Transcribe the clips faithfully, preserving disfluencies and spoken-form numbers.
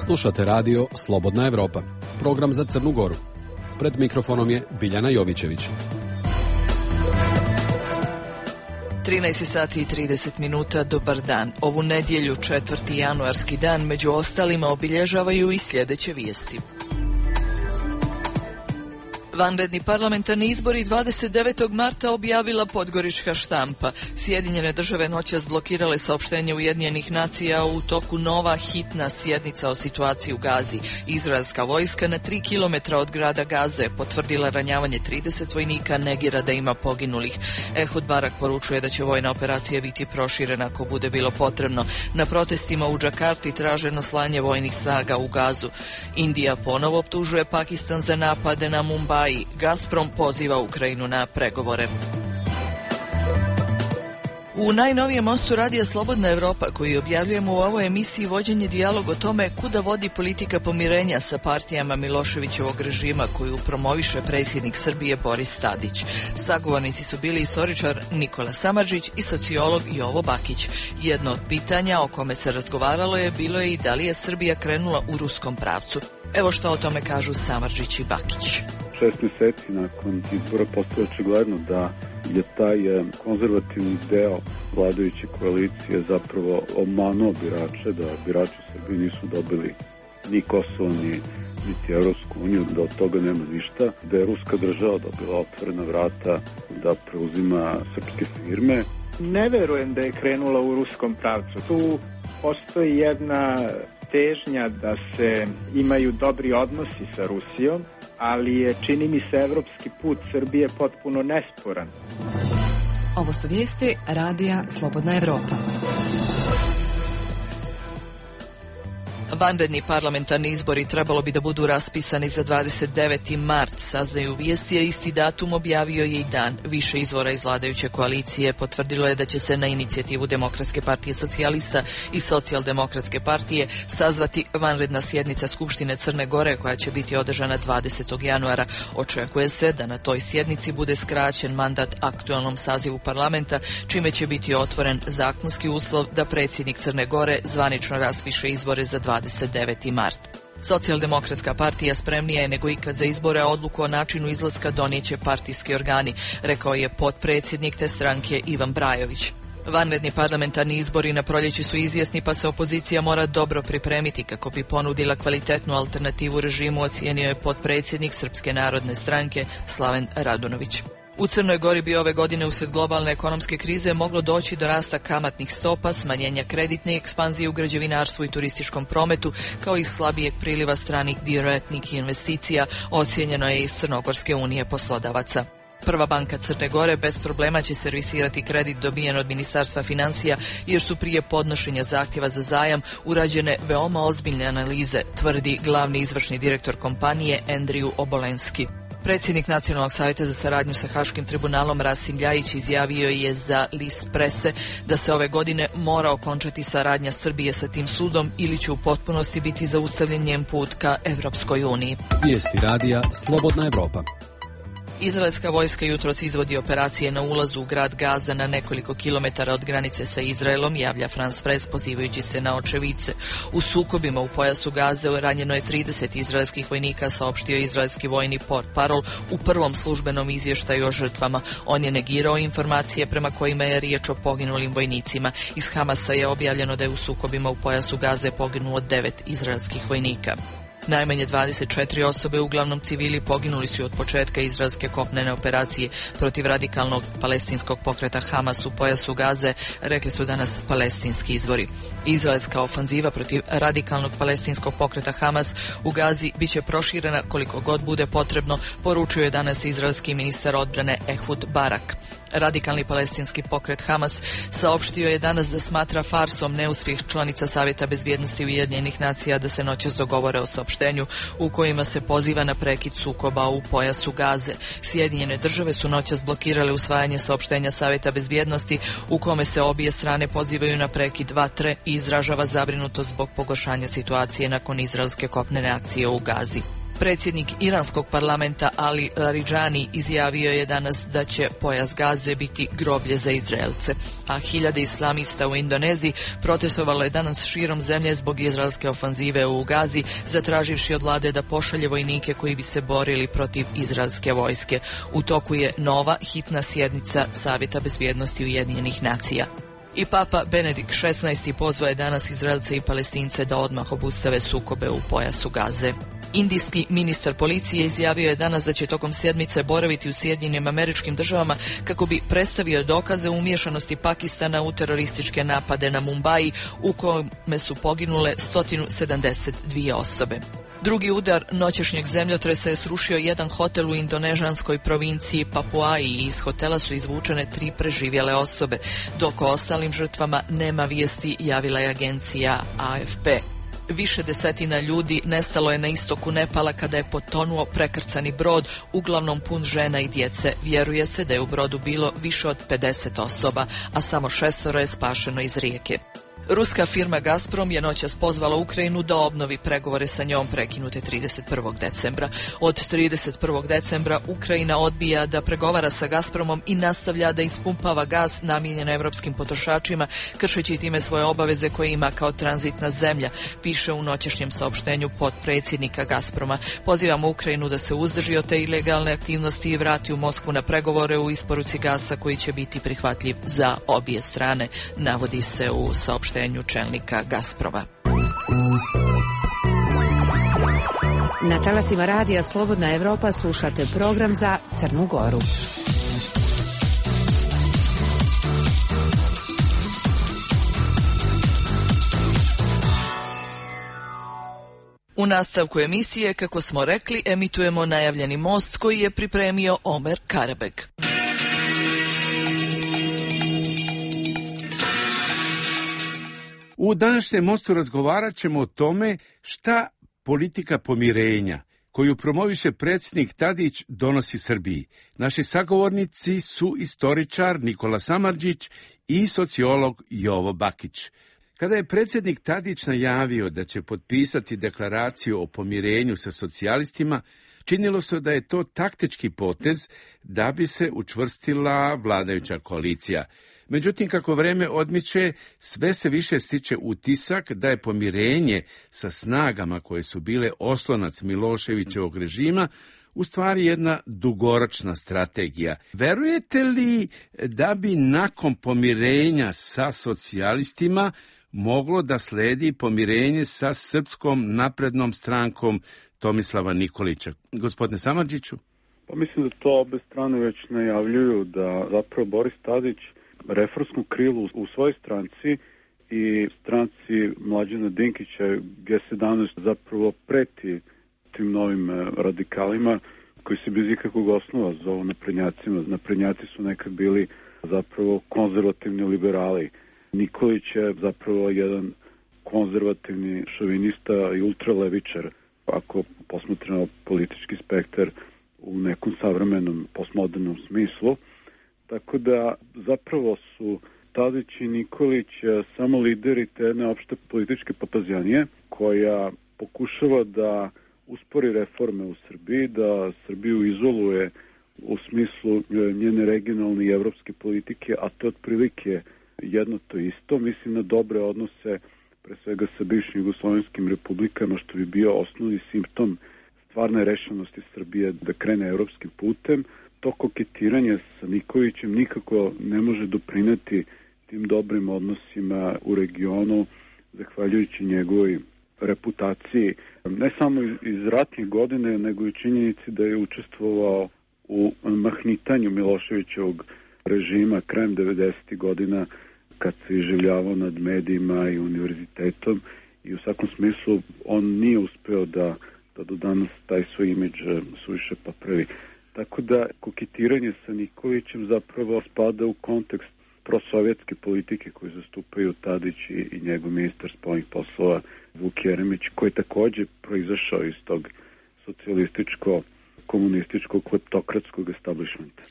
Slušate radio Slobodna Evropa, program za Crnu Goru. Pred mikrofonom je Biljana Jovićević. trinaest sati i trideset minuta, dobar dan. Ovu nedjelju, četvrti januarski dan, među ostalima obilježavaju i sljedeće vijesti. Vanredni parlamentarni izbori dvadeset devetog marta objavila Podgorička štampa. Sjedinjene države noćas blokirale saopštenje Ujedinjenih nacija u toku nova hitna sjednica o situaciji u Gazi. Izraelska vojska na tri kilometra od grada Gaze potvrdila ranjavanje trideset vojnika, negira da ima poginulih. Ehud Barak poručuje da će vojna operacija biti proširena ako bude bilo potrebno. Na protestima u Džakarti traženo slanje vojnih snaga u Gazu. Indija ponovo optužuje Pakistan za napade na Mumbai. Gazprom poziva Ukrajinu na pregovore. U najnovijem mostu radija Slobodna Evropa, koji objavljujemo u ovoj emisiji, vođen je dijalog o tome kuda vodi politika pomirenja sa partijama Miloševićevog režima koju promoviše predsjednik Srbije Boris Tadić. Sagovornici su bili istoričar Nikola Samardžić i sociolog Jovo Bakić. Jedno od pitanja o kome se razgovaralo je bilo je i da li je Srbija krenula u ruskom pravcu. Evo što o tome kažu Samardžić i Bakić. Šest mjeseci nakon izbora postoje očigledno da je taj konzervativni deo vladajuće koalicije zapravo obmanuo birače, da birači u Srbiji nisu dobili ni Kosovo, ni niti Evropsku uniju, da od toga nema ništa, da je ruska država dobila otvorena vrata da preuzima srpske firme. Ne verujem da je krenula u ruskom pravcu. Tu postoji jedna težnja da se imaju dobri odnosi sa Rusijom, ali je, čini mi se, evropski put Srbije potpuno nesporan. Ovo su vijesti radija Slobodna Evropa. Vanredni parlamentarni izbori trebalo bi da budu raspisani za dvadeset deveti mart, saznaju vijesti, a isti datum objavio je i dan. Više izvora iz vladajuće koalicije potvrdilo je da će se na inicijativu Demokratske partije socijalista i Socijaldemokratske partije sazvati vanredna sjednica Skupštine Crne Gore koja će biti održana dvadesetog januara. Očekuje se da na toj sjednici bude skraćen mandat aktualnom sazivu parlamenta, čime će biti otvoren zakonski uslov da predsjednik Crne Gore zvanično raspiše izbore za dvadeset deveti mart. Socijaldemokratska partija spremnija je nego ikad za izbore, a odluku o načinu izlaska donijeće partijski organi, rekao je potpredsjednik te stranke Ivan Brajović. Vanredni parlamentarni izbori na proljeće su izvjesni, pa se opozicija mora dobro pripremiti kako bi ponudila kvalitetnu alternativu režimu, ocijenio je potpredsjednik Srpske narodne stranke Slaven Radunović. U Crnoj Gori bi ove godine uslijed globalne ekonomske krize moglo doći do rasta kamatnih stopa, smanjenja kreditne ekspanzije u građevinarstvu i turističkom prometu, kao i slabijeg priliva stranih direktnih investicija, ocijenjeno je iz Crnogorske unije poslodavaca. Prva banka Crne Gore bez problema će servisirati kredit dobijen od Ministarstva financija, jer su prije podnošenja zahtjeva za zajam urađene veoma ozbiljne analize, tvrdi glavni izvršni direktor kompanije Andriju Obolenski. Predsjednik Nacionalnog savjeta za saradnju sa Haškim tribunalom Rasim Ljajić izjavio je za list Prese da se ove godine mora okončati saradnja Srbije sa tim sudom ili će u potpunosti biti zaustavljen njen put ka Evropskoj uniji. Vijesti radija Slobodna Evropa. Izraelska vojska jutros izvodi operacije na ulazu u grad Gaza na nekoliko kilometara od granice sa Izraelom, javlja France Press pozivajući se na očevice. U sukobima u pojasu Gaze ranjeno je trideset izraelskih vojnika, saopštio izraelski vojni portparol u prvom službenom izvještaju o žrtvama. On je negirao informacije prema kojima je riječ o poginulim vojnicima. Iz Hamasa je objavljeno da je u sukobima u pojasu Gaze poginulo devet izraelskih vojnika. Najmanje dvadeset četiri osobe, uglavnom civili, poginuli su od početka izraelske kopnene operacije protiv radikalnog palestinskog pokreta Hamas u pojasu Gaze, rekli su danas palestinski izvori. Izraelska ofanziva protiv radikalnog palestinskog pokreta Hamas u Gazi biće proširena koliko god bude potrebno, poručio je danas izraelski ministar odbrane Ehud Barak. Radikalni palestinski pokret Hamas saopštio je danas da smatra farsom neuspjeh članica Savjeta bezbjednosti Ujedinjenih nacija da se noćas dogovore o saopštenju u kojima se poziva na prekid sukoba u pojasu Gaze. Sjedinjene države su noćas blokirale usvajanje saopštenja Savjeta bezbjednosti u kome se obje strane pozivaju na prekid vatre i izražava zabrinutost zbog pogoršanja situacije nakon izraelske kopnene akcije u Gazi. Predsjednik iranskog parlamenta Ali Larijani izjavio je danas da će pojas Gaze biti groblje za Izraelce, a hiljade islamista u Indoneziji protestovalo je danas širom zemlje zbog izraelske ofanzive u Gazi, zatraživši od vlade da pošalje vojnike koji bi se borili protiv izraelske vojske. U toku je nova hitna sjednica Savjeta bezbjednosti Ujedinjenih nacija. I Papa Benedikt šesnaesti pozvao je danas Izraelce i Palestince da odmah obustave sukobe u pojasu Gaze. Indijski ministar policije izjavio je danas da će tokom sedmice boraviti u Sjedinjenim Američkim Državama kako bi predstavio dokaze umiješanosti Pakistana u terorističke napade na Mumbai u kome su poginule sto sedamdeset dvije osobe. Drugi udar noćešnjeg zemljotresa je srušio jedan hotel u indonežanskoj provinciji Papuaji i iz hotela su izvučene tri preživjele osobe, dok o ostalim žrtvama nema vijesti, javila je agencija A F P. Više desetina ljudi nestalo je na istoku Nepala kada je potonuo prekrcani brod, uglavnom pun žena i djece. Vjeruje se da je u brodu bilo više od pedeset osoba, a samo šestoro je spašeno iz rijeke. Ruska firma Gazprom je noćas pozvala Ukrajinu da obnovi pregovore sa njom prekinute trideset prvog decembra. Od trideset prvog decembra Ukrajina odbija da pregovara sa Gazpromom i nastavlja da ispumpava gaz namijenjen evropskim potrošačima, kršeći time svoje obaveze koje ima kao tranzitna zemlja, piše u noćešnjem saopštenju potpredsjednika Gazproma. Pozivamo Ukrajinu da se uzdrži od te ilegalne aktivnosti i vrati u Moskvu na pregovore u isporuci gasa koji će biti prihvatljiv za obje strane, navodi se u saopštenju čelnika Gazproma. Na talasima radija Slobodna Evropa slušate program za Crnu Goru. U nastavku emisije, kako smo rekli, emitujemo najavljeni most koji je pripremio Omer Karabeg. U današnjem mostu razgovarat ćemo o tome šta politika pomirenja koju promoviše predsjednik Tadić donosi Srbiji. Naši sagovornici su istoričar Nikola Samardžić i sociolog Jovo Bakić. Kada je predsjednik Tadić najavio da će potpisati deklaraciju o pomirenju sa socijalistima, činilo se da je to taktički potez da bi se učvrstila vladajuća koalicija. Međutim, kako vreme odmiče, sve se više stiče utisak da je pomirenje sa snagama koje su bile oslonac Miloševićevog režima u stvari jedna dugoročna strategija. Verujete li da bi nakon pomirenja sa socijalistima moglo da sledi pomirenje sa Srpskom naprednom strankom Tomislava Nikolića? Gospodine Samardžiću? Pa mislim da to obe strane već najavljuju, da zapravo Boris Tadić reformskom krilu u svojoj stranci i stranci Mlađana Dinkića G sedamnaest zapravo preti tim novim radikalima koji se bez ikakvog osnova zovu naprednjacima. Naprednjaci su nekad bili zapravo konzervativni liberali. Nikolić je zapravo jedan konzervativni šovinista i ultralevičar, ako posmatramo politički spektar u nekom savremenom postmodernom smislu. Tako da zapravo su Tadić i Nikolić samo lideri te jedne opšte političke papazjanije koja pokušava da uspori reforme u Srbiji, da Srbiju izoluje u smislu njene regionalne i evropske politike, a to otprilike jedno to isto. Mislim na dobre odnose pre svega sa bivšim jugoslovenskim republikama, što bi bio osnovni simptom stvarne rešenosti Srbije da krene evropskim putem. To koketiranje sa Nikolićem nikako ne može doprineti tim dobrim odnosima u regionu, zahvaljujući njegovoj reputaciji, ne samo iz ratnih godine, nego i činjenici da je učestvovao u mahnitanju Miloševićevog režima krajem devedesetih godina, kad se iživljavao nad medijima i univerzitetom, i u svakom smislu on nije uspeo da, da do danas taj svoj imidž suviše popravi. Tako da koketiranje sa Nikolićem zapravo spada u kontekst prosovjetske politike koju zastupaju Tadić i, i njegov ministar spoljnih poslova Vuk Jeremić, koji je također proizašao iz tog socijalističko-komunističkog kleptokratskog establishmenta.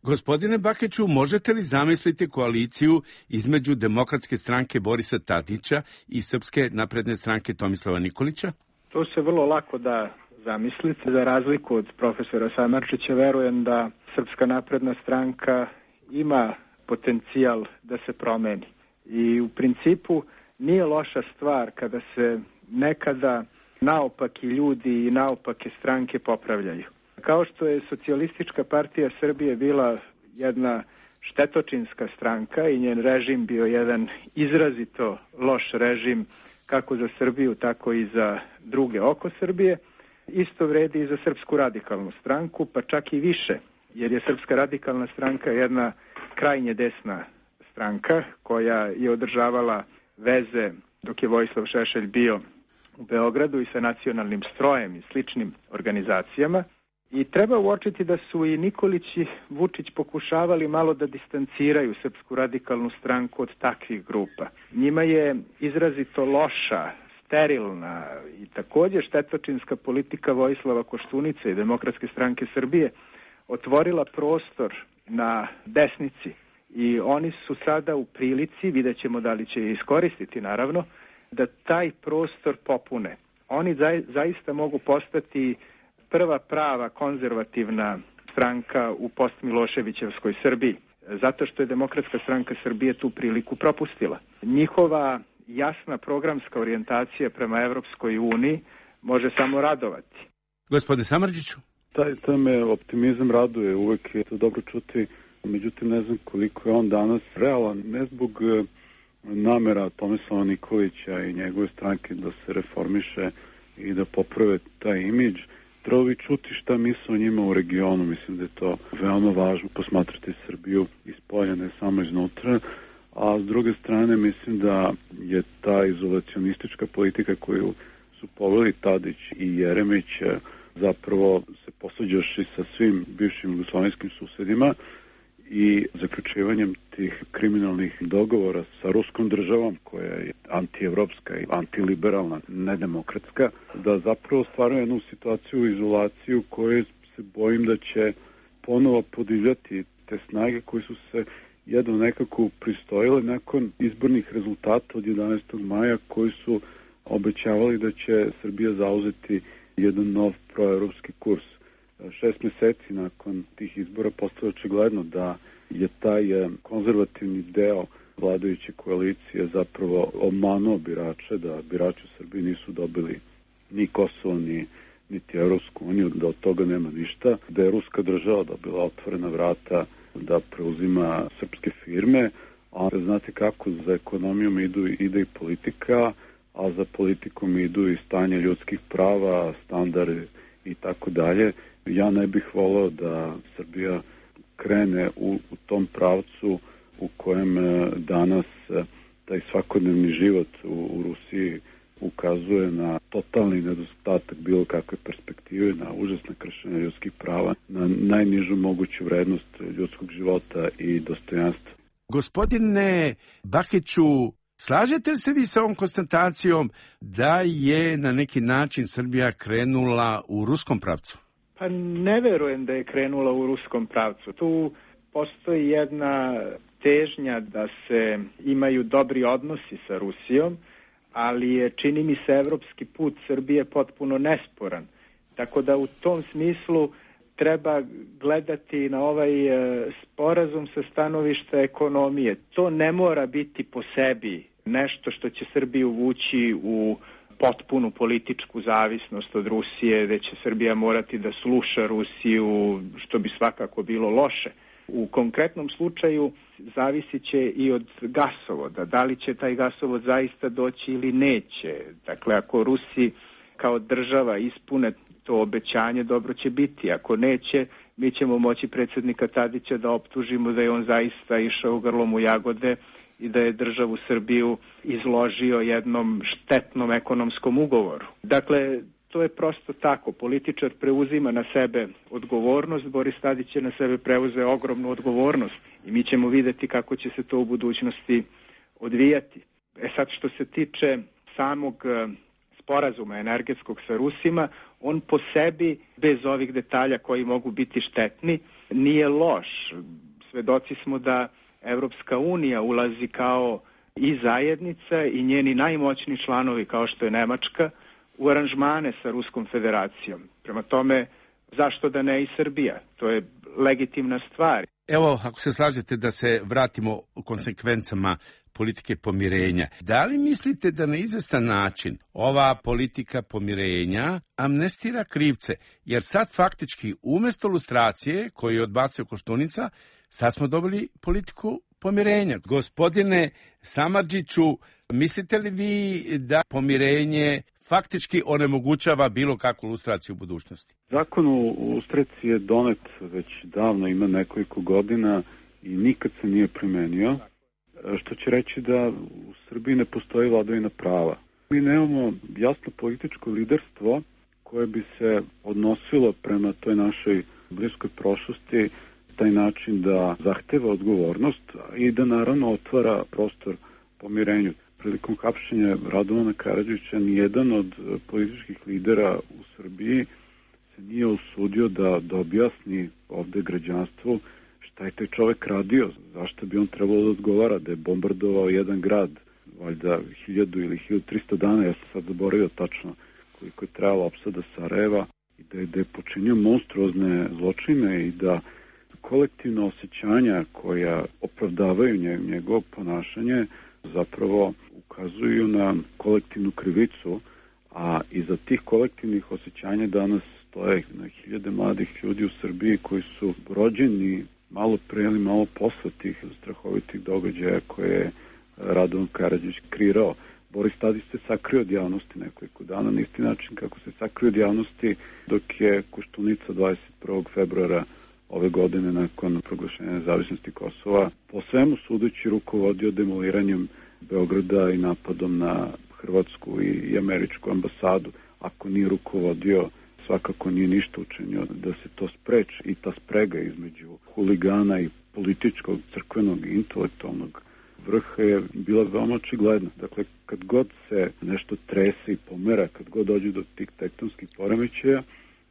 Gospodine Bakiću, možete li zamisliti koaliciju između Demokratske stranke Borisa Tadića i Srpske napredne stranke Tomislava Nikolića? To se vrlo lako da zamisliti. Za razliku od profesora Samardžića, verujem da Srpska napredna stranka ima potencijal da se promeni. I u principu nije loša stvar kada se nekada naopaki ljudi i naopake stranke popravljaju. Kao što je Socijalistička partija Srbije bila jedna štetočinska stranka i njen režim bio jedan izrazito loš režim kako za Srbiju, tako i za druge oko Srbije, isto vredi i za Srpsku radikalnu stranku, pa čak i više, jer je Srpska radikalna stranka jedna krajnje desna stranka koja je održavala veze dok je Vojislav Šešelj bio u Beogradu i sa nacionalnim strojem i sličnim organizacijama. I treba uočiti da su i Nikolić i Vučić pokušavali malo da distanciraju Srpsku radikalnu stranku od takvih grupa. Njima je izrazito loša, sterilna i također štetočinska politika Vojislava Koštunice i Demokratske stranke Srbije otvorila prostor na desnici i oni su sada u prilici, vidjet ćemo da li će je iskoristiti naravno, da taj prostor popune. Oni zaista mogu postati prva prava konzervativna stranka u post-Miloševićevskoj Srbiji, zato što je Demokratska stranka Srbije tu priliku propustila. Njihova jasna programska orijentacija prema Evropskoj uniji može samo radovati. Gospodine Samardžiću? Taj, taj me optimizam raduje, uvek je to dobro čuti, međutim ne znam koliko je on danas realan, ne zbog namera Tomislava Nikolića i njegove stranke da se reformiše i da poprave taj imidž. Trebalo bi čuti šta misle o njima u regionu, mislim da je to veoma važno posmatrati Srbiju iz polja, ne samo iznutra, a s druge strane mislim da je ta izolacionistička politika koju su poveli Tadić i Jeremić zapravo se posvađaši sa svim bivšim jugoslovenskim susedima i zaključivanjem tih kriminalnih dogovora sa ruskom državom koja je antievropska i antiliberalna, nedemokratska, da zapravo stvaraju jednu situaciju, izolaciju koju se bojim da će ponovo podivljati te snage koje su se jedno nekako pristojile nakon izbornih rezultata od jedanaestog maja koji su obećavali da će Srbija zauzeti jedan nov proevropski kurs. Šest meseci nakon tih izbora postalo očigledno da je taj konzervativni deo vladajuće koalicije zapravo obmanuo birače, da birači u Srbiji nisu dobili ni Kosovo, ni niti Evropsku uniju, da od toga nema ništa, da je ruska država dobila otvorena vrata da preuzima srpske firme, a znate kako za ekonomijom idu, ide i politika, a za politikom idu i stanje ljudskih prava, standard i tako dalje. Ja ne bih voleo da Srbija krene u, u tom pravcu u kojem danas taj svakodnevni život u, u Rusiji ukazuje na totalni nedostatak bilo kakve perspektive, na užasne kršenje ljudskih prava, na najnižu moguću vrednost ljudskog života i dostojanstva. Gospodine Bakiću, slažete li se vi sa ovom konstatacijom da je na neki način Srbija krenula u ruskom pravcu? Pa ne verujem da je krenula u ruskom pravcu. Tu postoji jedna težnja da se imaju dobri odnosi sa Rusijom, ali je, čini mi se, evropski put Srbije potpuno nesporan. Tako da u tom smislu treba gledati na ovaj sporazum sa stanovišta ekonomije. To ne mora biti po sebi nešto što će Srbiju vući u potpunu političku zavisnost od Rusije, gde će Srbija morati da sluša Rusiju, što bi svakako bilo loše. U konkretnom slučaju zavisit će i od gasovoda, da li će taj gasovod zaista doći ili neće. Dakle, ako Rusi kao država ispune to obećanje, dobro će biti. Ako neće, mi ćemo moći predsjednika Tadića da optužimo da je on zaista išao grlom u jagode i da je državu Srbiju izložio jednom štetnom ekonomskom ugovoru. Dakle, to je prosto tako. Političar preuzima na sebe odgovornost, Boris Tadić je na sebe preuzeo ogromnu odgovornost i mi ćemo vidjeti kako će se to u budućnosti odvijati. E sad, što se tiče samog sporazuma energetskog sa Rusima, on po sebi, bez ovih detalja koji mogu biti štetni, nije loš. Svedoci smo da Evropska unija ulazi kao i zajednica i njeni najmoćniji članovi, kao što je Nemačka, u aranžmane sa Ruskom federacijom. Prema tome, zašto da ne i Srbija? To je legitimna stvar. Evo, ako se slažete da se vratimo u konsekvencama politike pomirenja. Da li mislite da na izvestan način ova politika pomirenja amnestira krivce? Jer sad faktički umjesto lustracije koju je odbacio Koštunica, sad smo dobili politiku pomirenja. Gospodine Samardžiću, mislite li vi da pomirenje faktički onemogućava bilo kakvu lustraciju u budućnosti? Zakon o lustraciji je donet već davno, ima nekoliko godina i nikad se nije primenio, što će reći da u Srbiji ne postoji vladavina prava. Mi nemamo jasno političko liderstvo koje bi se odnosilo prema toj našoj bliskoj prošlosti taj način da zahteva odgovornost i da naravno otvara prostor pomirenju. Prilikom hapšenja Radovana Karadžića nijedan od političkih lidera u Srbiji se nije usudio da, da objasni ovde građanstvu šta je taj čovek radio, zašto bi on trebalo da odgovara, da je bombardovao jedan grad, valjda hiljadu ili hiljadu trista dana, ja sam sad zaboravio tačno koliko je trajala opsada Sarajeva, i da je, da je počinio monstruozne zločine i da kolektivna osjećanja koja opravdavaju njegovo ponašanje zapravo ukazuju na kolektivnu krivicu, a iza tih kolektivnih osjećanja danas stoje na hiljade mladih ljudi u Srbiji koji su rođeni malo pre ili malo posle tih strahovitih događaja koje je Radovan Karadžić kreirao. Boris Tadić se sakrio od javnosti nekoliko dana na isti način kako se sakrio od javnosti dok je Koštunica dvadeset prvog februara ove godine nakon proglašenja nezavisnosti Kosova po svemu sudeći rukovodio demoliranjem Beograda i napadom na hrvatsku i američku ambasadu. Ako nije rukovodio, svakako nije ništa učinio da se to spreči i ta sprega između huligana i političkog, crkvenog i intelektualnog vrha je bila veoma očigledna. Dakle, kad god se nešto trese i pomera, kad god dođe do tih tektonskih poremećaja,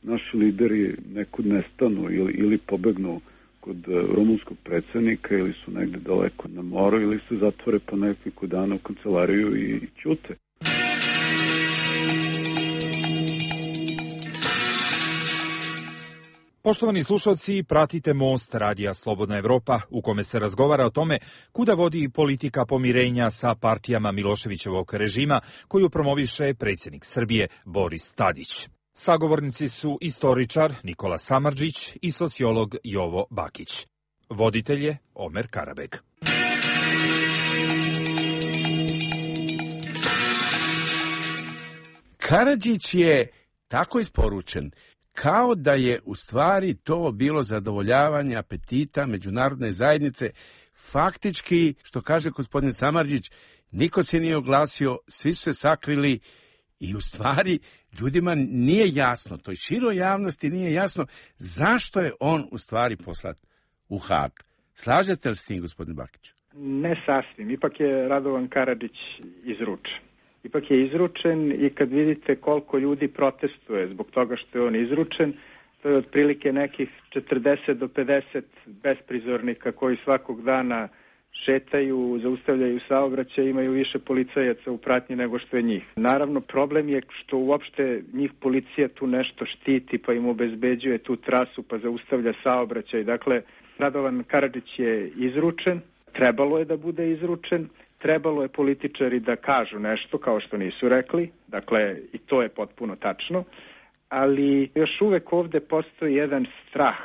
naši lideri nekud nestanu ili, ili pobegnu kod rumunskog predsjednika ili su negde daleko na moru ili se zatvore po nekoliko dana u kancelariju i ćute. Poštovani slušalci, pratite Most radija Slobodna Evropa u kome se razgovara o tome kuda vodi politika pomirenja sa partijama Miloševićevog režima koju promoviše predsjednik Srbije Boris Tadić. Sagovornici su istoričar Nikola Samardžić i sociolog Jovo Bakić. Voditelj je Omer Karabeg. Karadžić je tako isporučen kao da je u stvari to bilo zadovoljavanje apetita međunarodne zajednice. Faktički, što kaže gospodin Samardžić, niko se nije oglasio, svi su se sakrili i u stvari ljudima nije jasno, toj široj javnosti nije jasno zašto je on u stvari poslat u Hag. Slažete li s tim, gospodin Bakić? Ne sasvim, ipak je Radovan Karadžić izručen. Ipak je izručen i kad vidite koliko ljudi protestuje zbog toga što je on izručen, to je otprilike nekih četrdeset do pedeset besprizornika koji svakog dana šetaju, zaustavljaju saobraćaj, imaju više policajaca u pratnji nego što je njih. Naravno, problem je što uopšte njih policija tu nešto štiti, pa im obezbeđuje tu trasu, pa zaustavlja saobraćaj. Dakle, Radovan Karadžić je izručen, trebalo je da bude izručen, trebalo je političari da kažu nešto kao što nisu rekli, dakle i to je potpuno tačno, ali još uvek ovde postoji jedan strah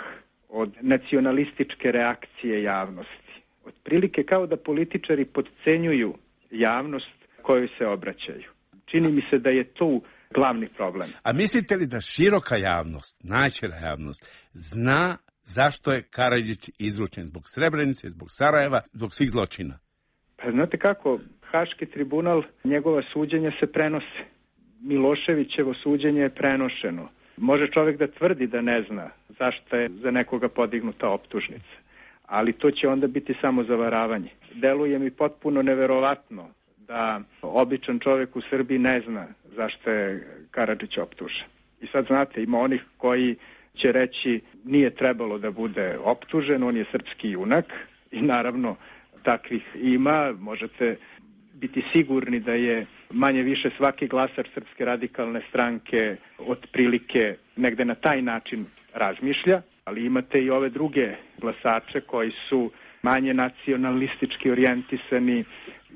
od nacionalističke reakcije javnosti. Otprilike kao da političari podcenjuju javnost kojoj se obraćaju. Čini mi se da je tu glavni problem. A mislite li da široka javnost, najšira javnost, zna zašto je Karadžić izručen? Zbog Srebrenice, zbog Sarajeva, zbog svih zločina? Pa znate kako, Haški tribunal, njegova suđenja se prenose. Miloševićevo suđenje je prenošeno. Može čovjek da tvrdi da ne zna zašto je za nekoga podignuta optužnica, ali to će onda biti samo zavaravanje. Deluje mi potpuno neverovatno da običan čovjek u Srbiji ne zna zašto je Karadžić optužen. I sad znate, ima onih koji će reći nije trebalo da bude optužen, on je srpski junak i naravno takvih ima, možete biti sigurni da je manje više svaki glasač Srpske radikalne stranke otprilike negde na taj način razmišlja, ali imate i ove druge glasače koji su manje nacionalistički orijentisani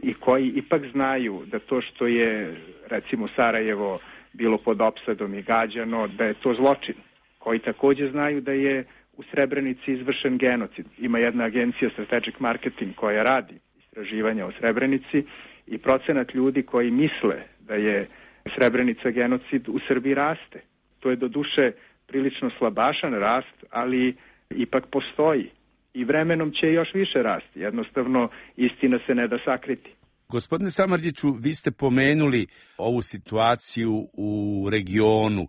i koji ipak znaju da to što je, recimo, Sarajevo bilo pod opsadom i gađano, da je to zločin, koji takođe znaju da je u Srebrenici izvršen genocid. Ima jedna agencija Strategic Marketing koja radi istraživanja o Srebrenici i procenat ljudi koji misle da je Srebrenica genocid u Srbiji raste. To je doduše prilično slabašan rast, ali ipak postoji. I vremenom će još više rasti. Jednostavno, istina se ne da sakriti. Gospodine Samardžiću, vi ste pomenuli ovu situaciju u regionu.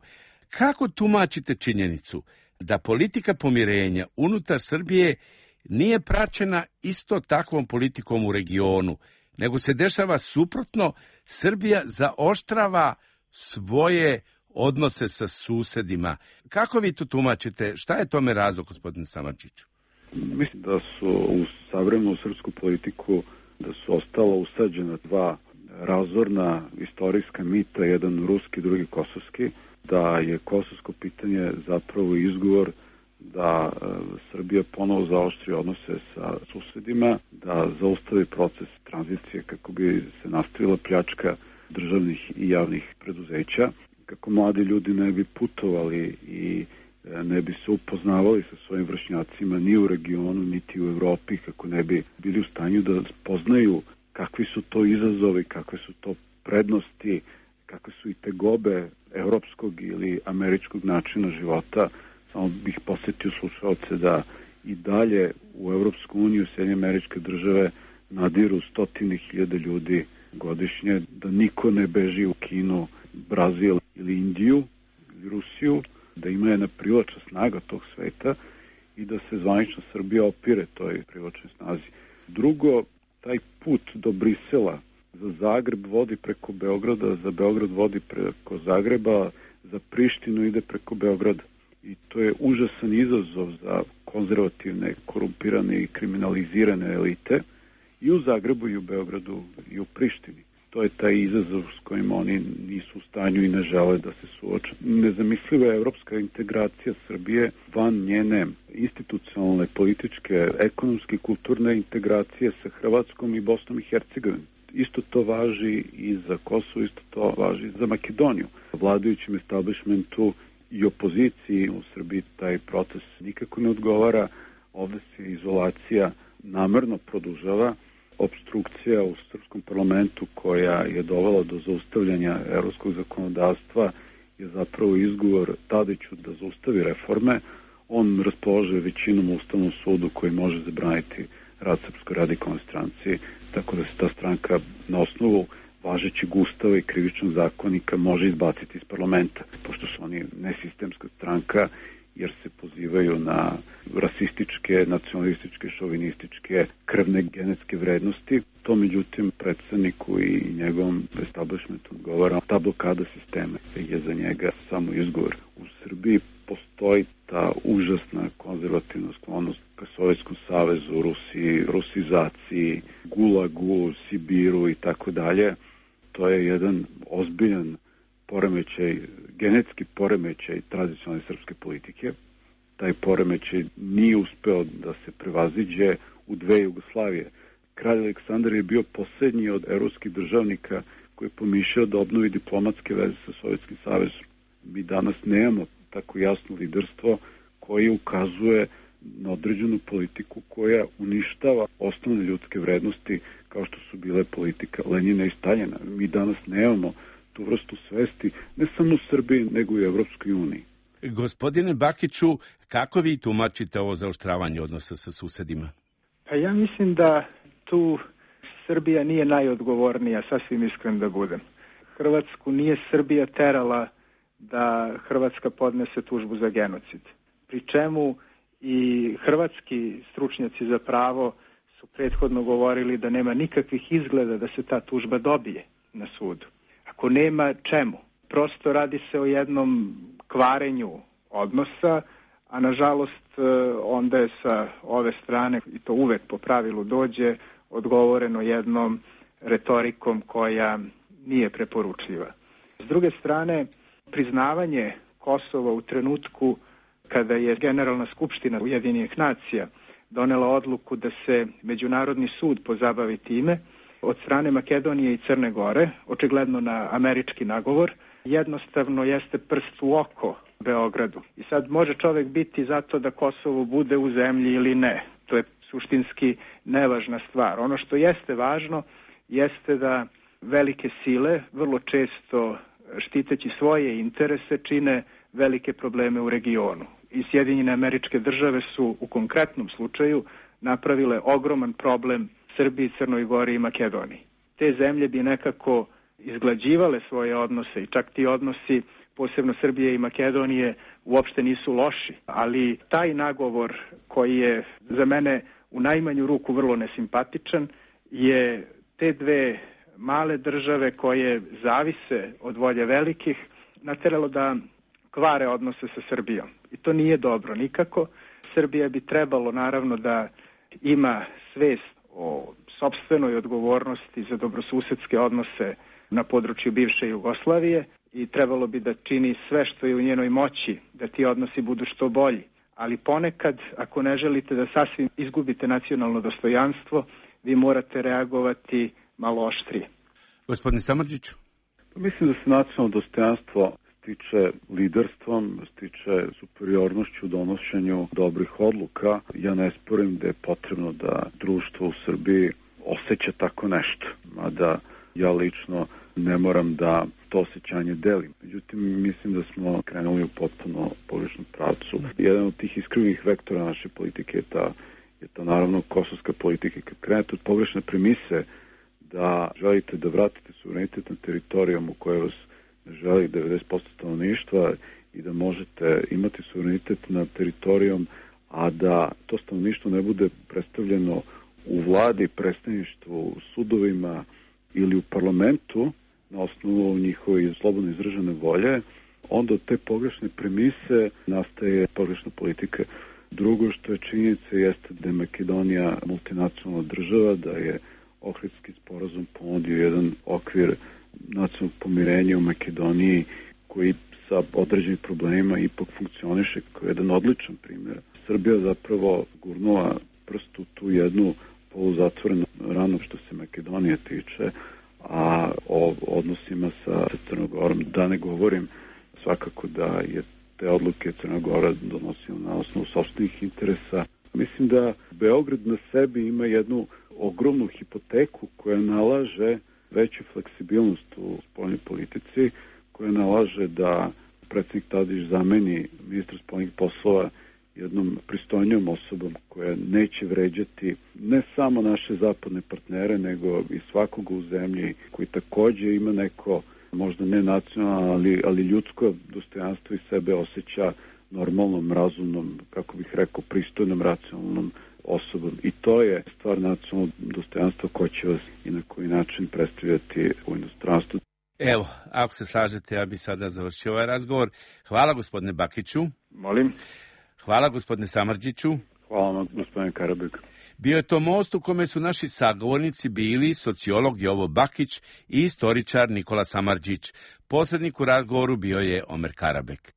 Kako tumačite činjenicu da politika pomirenja unutar Srbije nije praćena isto takvom politikom u regionu, nego se dešava suprotno, Srbija zaoštrava svoje odnose sa susedima? Kako vi to tumačite? Šta je tome razlog, gospodine Samardžiću? Mislim da su u savremenu srpsku politiku da su ostala usađena dva razorna istorijska mita, jedan ruski, drugi kosovski, da je kosovsko pitanje zapravo izgovor da e, Srbija ponovo zaoštri odnose sa susedima, da zaustavi proces tranzicije kako bi se nastavila pljačka državnih i javnih preduzeća, kako mladi ljudi ne bi putovali i ne bi se upoznavali sa svojim vršnjacima ni u regionu, niti u Evropi, kako ne bi bili u stanju da poznaju kakvi su to izazovi, kakve su to prednosti, kakve su i tegobe evropskog ili američkog načina života. Samo bih posjetio slušalce da i dalje u Evropsku uniju Sjedinjene Američke Države nadiru stotine hiljade ljudi godišnje, da niko ne beži u Kinu, Brazil ili Indiju ili Rusiju, da ima jedna privlačna snaga tog sveta i da se zvanično Srbija opire toj privlačnoj snazi. Drugo, taj put do Brisela za Zagreb vodi preko Beograda, za Beograd vodi preko Zagreba, za Prištinu ide preko Beograda. I to je užasan izazov za konzervativne, korumpirane i kriminalizirane elite i u Zagrebu i u Beogradu i u Prištini. To je taj izazov s kojim oni nisu u stanju i ne žele da se suoče. Nezamisliva je evropska integracija Srbije van njene institucionalne, političke, ekonomske i kulturne integracije sa Hrvatskom i Bosnom i Hercegovinom. Isto to važi i za Kosovo, isto to važi za Makedoniju. Vladajućem establishmentu i opoziciji u Srbiji taj proces nikako ne odgovara. Ovde se izolacija namerno produžava. Opstrukcija u srpskom parlamentu koja je dovela do zaustavljanja evropskog zakonodavstva je zapravo izgovor Tadiću da zaustavi reforme. On raspolaže većinom u Ustavnom sudu koji može zabraniti rad Srpskoj radikalnoj stranci, tako da se ta stranka na osnovu važećeg ustava i krivičnog zakonika može izbaciti iz parlamenta, pošto su oni nesistemska stranka jer se pozivaju na rasističke, nacionalističke, šovinističke, krvne genetske vrednosti. To međutim predsedniku i njegovom establishmentu odgovara. Ta blokada sistema je za njega samo izgovor. U Srbiji postoji ta užasna konzervativna sklonost ka Sovjetskom savezu, Rusiji, rusizaciji, Gulagu, Sibiru i tako dalje. To je jedan ozbiljan poremećaj, genetski poremećaj tradicionalne srpske politike. Taj poremećaj nije uspeo da se prevaziđe u dve Jugoslavije. Kralj Aleksandar je bio posljednji od evropskih državnika koji je pomišljao da obnovi diplomatske veze sa Sovjetskim savezom. Mi danas nemamo tako jasno liderstvo koje ukazuje na određenu politiku koja uništava osnovne ljudske vrednosti kao što su bile politika Lenjina i Staljina. Mi danas nemamo tu vrstu svesti, ne samo u Srbiji, nego i u Evropskoj uniji. Gospodine Bakiću, kako vi tumačite ovo zaoštravanje odnosa sa susedima? Pa ja mislim da tu Srbija nije najodgovornija, sasvim iskren da budem. Hrvatsku nije Srbija terala da Hrvatska podnese tužbu za genocid. Pri čemu i hrvatski stručnjaci za pravo su prethodno govorili da nema nikakvih izgleda da se ta tužba dobije na sudu. Ako nema, čemu? Prosto radi se o jednom kvarenju odnosa, a nažalost onda je sa ove strane, i to uvek po pravilu dođe, odgovoreno jednom retorikom koja nije preporučljiva. S druge strane, priznavanje Kosova u trenutku kada je Generalna skupština Ujedinjenih nacija donela odluku da se Međunarodni sud pozabavi time, od strane Makedonije i Crne Gore, očigledno na američki nagovor, jednostavno jeste prst u oko Beogradu. I sad može čovek biti zato da Kosovo bude u zemlji ili ne. To je suštinski nevažna stvar. Ono što jeste važno jeste da velike sile vrlo često štiteći svoje interese čine velike probleme u regionu. I Sjedinjene Američke Države su u konkretnom slučaju napravile ogroman problem Srbiji, Crnoj Gori i Makedoniji. Te zemlje bi nekako izglađivale svoje odnose i čak ti odnosi, posebno Srbije i Makedonije, uopšte nisu loši. Ali taj nagovor koji je za mene u najmanju ruku vrlo nesimpatičan je te dve male države koje zavise od volje velikih nateralo da kvare odnose sa Srbijom. I to nije dobro nikako. Srbija bi trebalo naravno da ima svest o sopstvenoj odgovornosti za dobrosusedske odnose na području bivše Jugoslavije i trebalo bi da čini sve što je u njenoj moći da ti odnosi budu što bolji. Ali ponekad, ako ne želite da sasvim izgubite nacionalno dostojanstvo, vi morate reagovati malo oštrije. Gospodine Samardžiću? Mislim da se nacionalno dostojanstvo stiče liderstvom, stiče superiornošću u donošenju dobrih odluka. Ja ne sporim da je potrebno da društvo u Srbiji osjeća tako nešto, mada ja lično ne moram da to osjećanje delim. Međutim, mislim da smo krenuli u potpuno pogrešnom pravcu. Jedan od tih iskrivnih vektora naše politike je ta, je ta naravno kosovska politika. Kad krenete od pogrešne premise da želite da vratite suverenitet na teritorijom u kojoj vas ne želi devedeset posto stanovništva i da možete imati suverenitet na teritorijom, a da to stanovništvo ne bude predstavljeno u vladi, predstavništvu, u sudovima ili u parlamentu na osnovu njihove slobodno izražene volje, onda od te pogrešne premise nastaje pogrešna politika. Drugo što je činjenica jeste da je Makedonija multinacionalna država, da je Ohridski sporazum ponudio jedan okvir nacionalnog pomirenja u Makedoniji koji sa određenim problemima ipak funkcioniše kao jedan odličan primjer. Srbija zapravo gurnula prst u tu jednu poluzatvorenu ranu što se Makedonije tiče, a o odnosima sa Crnom Gorom da ne govorim, svakako da je te odluke Crna Gora donosila na osnovu sopstvenih interesa. Mislim da Beograd na sebi ima jednu ogromnu hipoteku koja nalaže veću fleksibilnost u spoljnoj politici, koja nalaže da predsjednik Tadić zameni ministra spoljnih poslova jednom pristojnijom osobom koja neće vređati ne samo naše zapadne partnere, nego i svakoga u zemlji koji također ima neko, možda ne nacionalno, ali, ali ljudsko dostojanstvo i sebe osjeća normalnom, razumnom, kako bih rekao, pristojnom, racionalnom osobom. I to je stvar nacionalnog dostojanstva ko će vas i na koji način predstavljati u inostranstvu. Evo, ako se slažete, ja bi sada završio ovaj razgovor. Hvala gospodine Bakiću. Molim. Hvala gospodine Samardžiću. Hvala vam gospodine Karabek. Bio je to most u kome su naši sagovornici bili sociolog Jovo Bakić i istoričar Nikola Samardžić. Posrednik u razgovoru bio je Omer Karabek.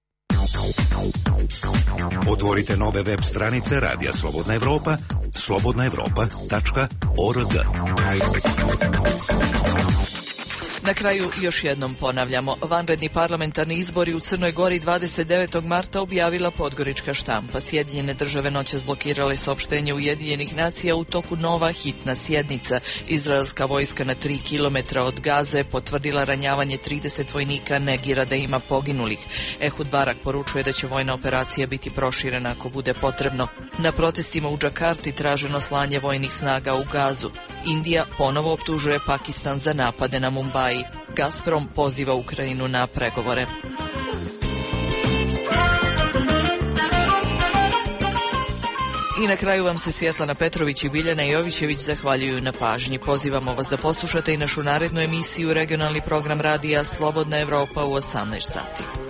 Otvorite nove web stranice Radija Slobodna Evropa, slobodna evropa tačka org. Na kraju još jednom ponavljamo, vanredni parlamentarni izbori u Crnoj Gori dvadeset devetog marta objavila Podgorička štampa. Sjedinjene države noćas blokirale saopštenje Ujedinjenih nacija u toku nova hitna sjednica. Izraelska vojska na tri kilometra od Gaze potvrdila ranjavanje trideset vojnika, negira da ima poginulih. Ehud Barak poručuje da će vojna operacija biti proširena ako bude potrebno. Na protestima u Džakarti traženo slanje vojnih snaga u Gazu. Indija ponovo optužuje Pakistan za napade na Mumbai. Gazprom poziva Ukrajinu na pregovore. I na kraju vam se Svjetlana Petrović i Biljana Jovićević zahvaljuju na pažnji. Pozivamo vas da poslušate i našu narednu emisiju, regionalni program radija Slobodna Evropa u osamnaest sati.